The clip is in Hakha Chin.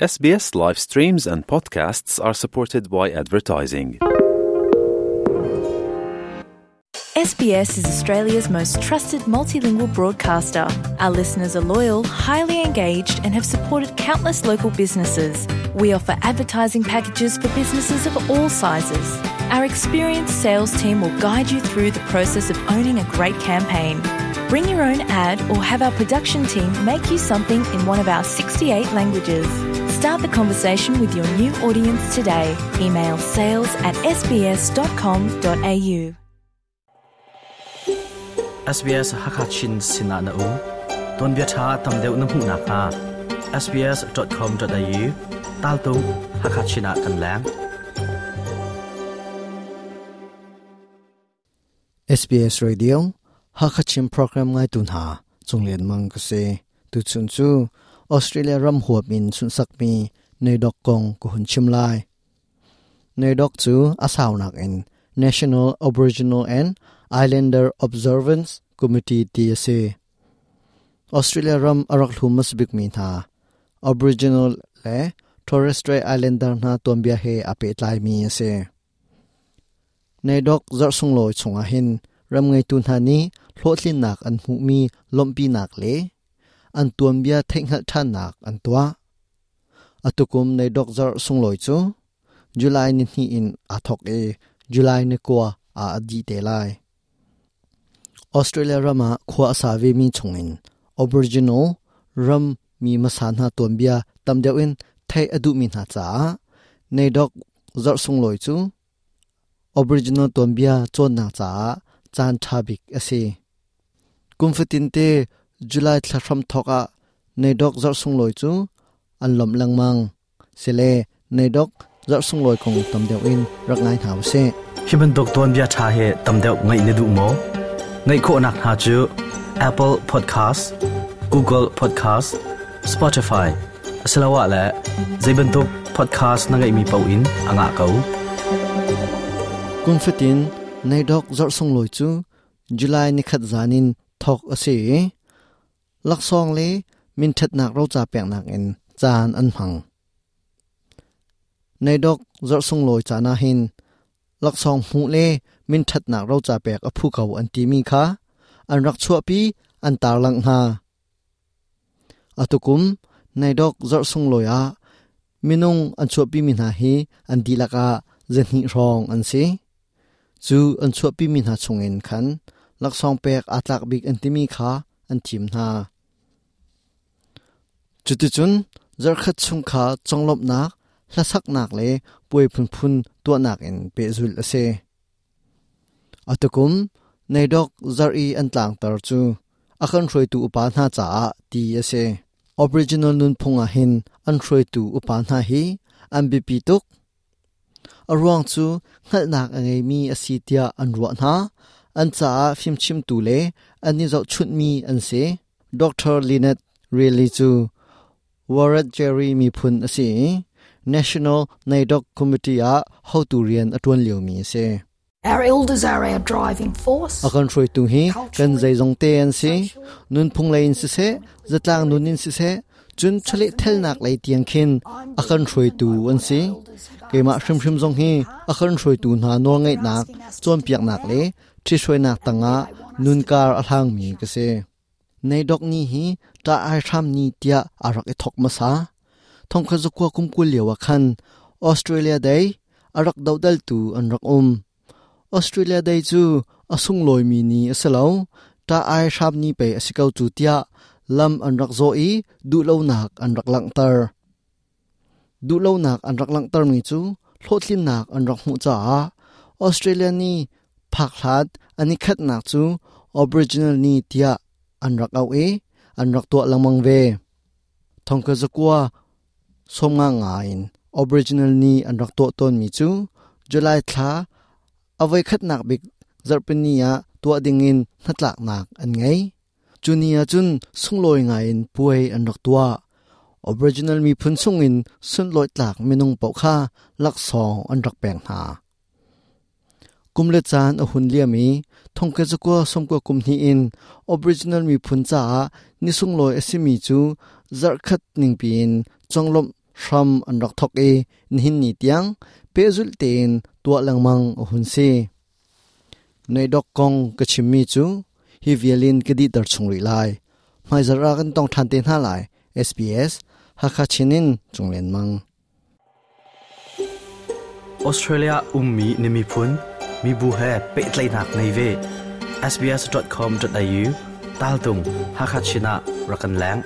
SBS live streams and podcasts are supported by advertising. SBS is Australia's most trusted multilingual broadcaster. Our listeners are loyal, highly engaged, and have supported countless local businesses. We offer advertising packages for businesses of all sizes. Our experienced sales team will guide you through the process of owning a great campaign. Bring your own ad or have our production team make you something in one of our 68 languages. Start the conversation with your new audience today. Email sales at sbs.com.au. SBS Hakachin Sinah na um ton bia tha tam deuh na hmuh nak hnga sbs.com.au tal tung Hakachin ah kan leng. SBS Radio Hakachin program ngai tu hna chunglen mang ka si tuchun cu Australia ram huap in sunhsakmi NAIDOC kong ka hun chim lai. NAIDOC cu a saunak in National Aboriginal and Islander Observance Committee ti a si. Australia ram a rak hlum hmasabikmi hna Aboriginal le Torres Strait Islander hna tuanbia he aa pehtlaimi a si. NAIDOC zarh sunglawi chungah hin ram ngeitu hna nih hlawhtlinnak an hmuhmi lawmhpinak le an tuanbia theihhngalh ṭhannak an tuah. Atukum NAIDOC zarh sunglawi cu July ni hnih in aa thawk i July ni kua ah a dih te lai. Australia ram ah khua a sa vemi chungin Aboriginal ram mi hmasa hna tuanbia tam deuh in theih a duhmi hna caah NAIDOC zarh sunglawi cu Aboriginal tuanbia cawnnak caah caan ṭha bik a si. Kum fatinte July thla hramthawk ah NAIDOC zarh sunglawi cu an lawmh lengmang. Sile NAIDOC zarh sunglawi kong tam deuh in rak ngai hna usih. Hi bantuk tuanbia ṭha hi tam deuh ngaih na duh maw? Ngaih khawhnak hna cu Apple Podcast, Google Podcast, Spotify asiloah le zei bantuk podcast na ngeihmi paoh in a ngah ko. Kum fatin NAIDOC zarh sunglawi cu July nikhat zan in thawk a si i laksawng le minṭhatnak roca peknak in caan an hmang. NAIDOC zarh sunglawi caan ah hin laksawng hmuh le minṭhatnak roca pek a phu ko an timi kha an rak chuahpi an tarlangh hna. Atukum NAIDOC zarh sunglawi ah minung an chuahpimi hna hi an dihlak ah zahnih hrawng an si. Cu an chuahpimi hna chungin khan laksawng pek aa tlak bik an timi kha an thim hna. Cuticun zarhkhat chung kha conglawmhnak, hlasaknak le puai phunphun tuahnak in pehzulh a si. Atukum NAIDOC zarh i an tlangtar cu a kan hruaitu upa hna caah ti a si. Aboriginal nunphung ah hin an hruaitu upa hna hi an biapi tuk. A ruang cu hngalhnak a ngeimi a si tiah an ruah hna. An caah fimchimtu le an i zohchunhmi an si. Dr. Lynette Riley cu Wiradjuri miphun a si i National NAIDOC Committee ah hotu rian a ṭuan liomi a si. Our elders are our driving force. A kan hruaitu hi kan zeizong te an si. Nunphung lei in siseh, zatlang nun in siseh, cun chawleh thelnak lei tiang khin a kan hruaitu an si. Keimah hrimhrim zong hi a kan hruaitu hna nawlngaihnak, cawnpiaknak le ṭhithruainak tangah nunkar a hlangmi ka si. NAIDOC ni hi ṭah ai hram ni tiah aa rak i thawk hmasa. Thongkhat zakua kum 20 lio ah khan Australia Day a rak dohdaltu an rak um. Australia Day cu a sunglawimi ni a si lo, ṭah ai hram ni pei a si ko cu tiah lam an rak zawh i duhlonak an rak langhter. Duhlonak an rak langhtermi cu hlawhtlinnak an rak hmuh caah Australia ni phak hlat an i khatnak cu Aboriginal ni tiah an rak auh i an rak tuah lengmang ve. Thongka zakua sawmnga nga in Aboriginal ni an rak tuah tawnmi cu July thla a voikhatnak bik zarhpini ah tuah dingin hnatlaknak an ngei. Cu ni ah cun sunglawi ngaiin puai an rak tuah. Aboriginal miphun chungin sunlawih tlak minung paoh kha laksawng an rak pek hna. Kum le caan a hun liam i thongkhat zakua sawmkua kum hnih in Aboriginal miphun caah ni sunglawi a simi cu zarhkhat ningpi in conglawmh hram an rak thawk i nihin ni tiang pehzulh tein tuah lengmang a hun si. Neidok kong ka chimmi cu hi vialin ka dihter chung rih lai. Hmaizarh ah kan tong ṭhan te hna lai. SBS Hakha Chin in Cung Lian Mang. Australia ummi na miphun, mibu he pehtlaihnak ngei ve. sbs.com.au tal tung Hakha Chin ah rak kan leng.